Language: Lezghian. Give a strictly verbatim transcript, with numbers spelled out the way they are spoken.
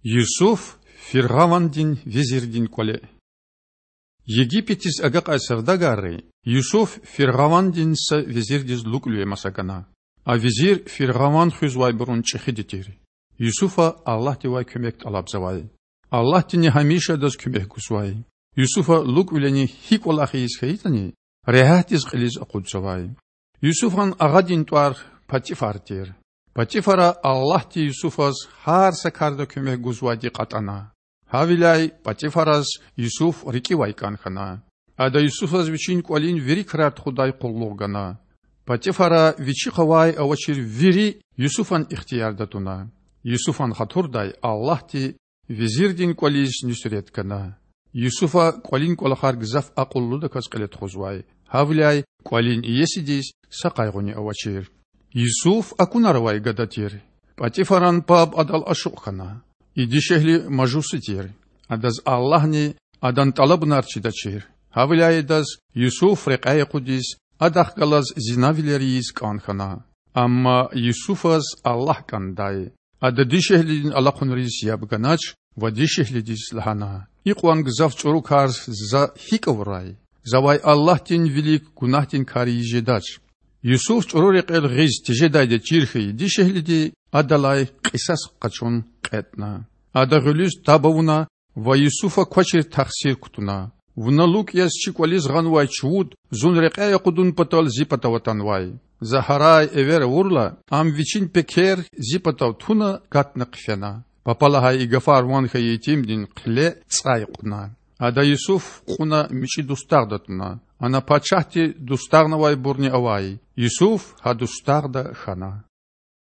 Юсуф фиргъавандин везирдин кІвале. Египетдиз агакьай савдагарри Юсуф фиргъавандин са везирдиз лукІвиле маса гана. А везир фиргъаван хуьзвайбурун чІехиди тир. Юсуфа Аллагьдивай куьмек тІалабзавай. Аллагьдини гьамиша адаз куьмек гузвай. Юсуфа лукІвилени гьи кІвалах ийиз хьайитІани, регьятдиз кьилиз акъудзавай. Юсуфан агъадин тІвар Патифар тир. Патифара Аллагьди Юсуфаз гьар са карда куьмек гузвайди кьатІана. Гьавиляй Патифараз Юсуф рикІивай кІан хьана. Ада Юсуфаз вичин кІвалин вири крар тухудай къуллугъ гана. Патифара вичихъ авай-авачир вири Юсуфан ихтиярда туна. Юсуфан хатурдай Аллагьди везирдин кІвализ нуьсрет гана. Юсуфа кІвалин кІвалахар гзаф акьуллудаказ кьиле тухузвай, гьавиляй кІвалин иесидиз са къайгъуни авачир. Юсуф акунар авай гада тир. Патифаран паб адал ашукь хьана. И дишегьли мажуси тир. Адаз Аллагьни адан тІалабунар чидачир. Гьавиляй адаз Юсуф рекьяй акъудиз, адахъ галаз зинавилер ийиз кІан хьана. Амма Юсуфаз Аллагь кІандай. Ада дишегьлидин алахъунриз яб ганач ва дишегьлидиз лагьана: Икьван гзаф чІуру кар за гьикІ авурай? Завай Аллагьдин вилик гунагьдин кар ийиз жедач. Юсуф чІуру рекьел гъиз тежедайди чир хьайи дишегьлиди адалай кьисас къачун кьетІна. Ада гъуьлуьз таб авуна ва Юсуфа квачир тахсир кутуна: Вуна лукІ яз чи кІвализ гъанвай чувуд зун рекьяй акъудун патал зи патав атанвай. За гьарай-эвер авурла, ам вичин пекер зи патав туна катна хъфена. Папа лагьай и гафар ван хьайи итимдин хъиле цІай кьуна. Ада Юсуф кьуна мичІи дустагъда туна. Ана пачагьди дустагънавайбурни авай. Юсуф гьа дустагъда хьана.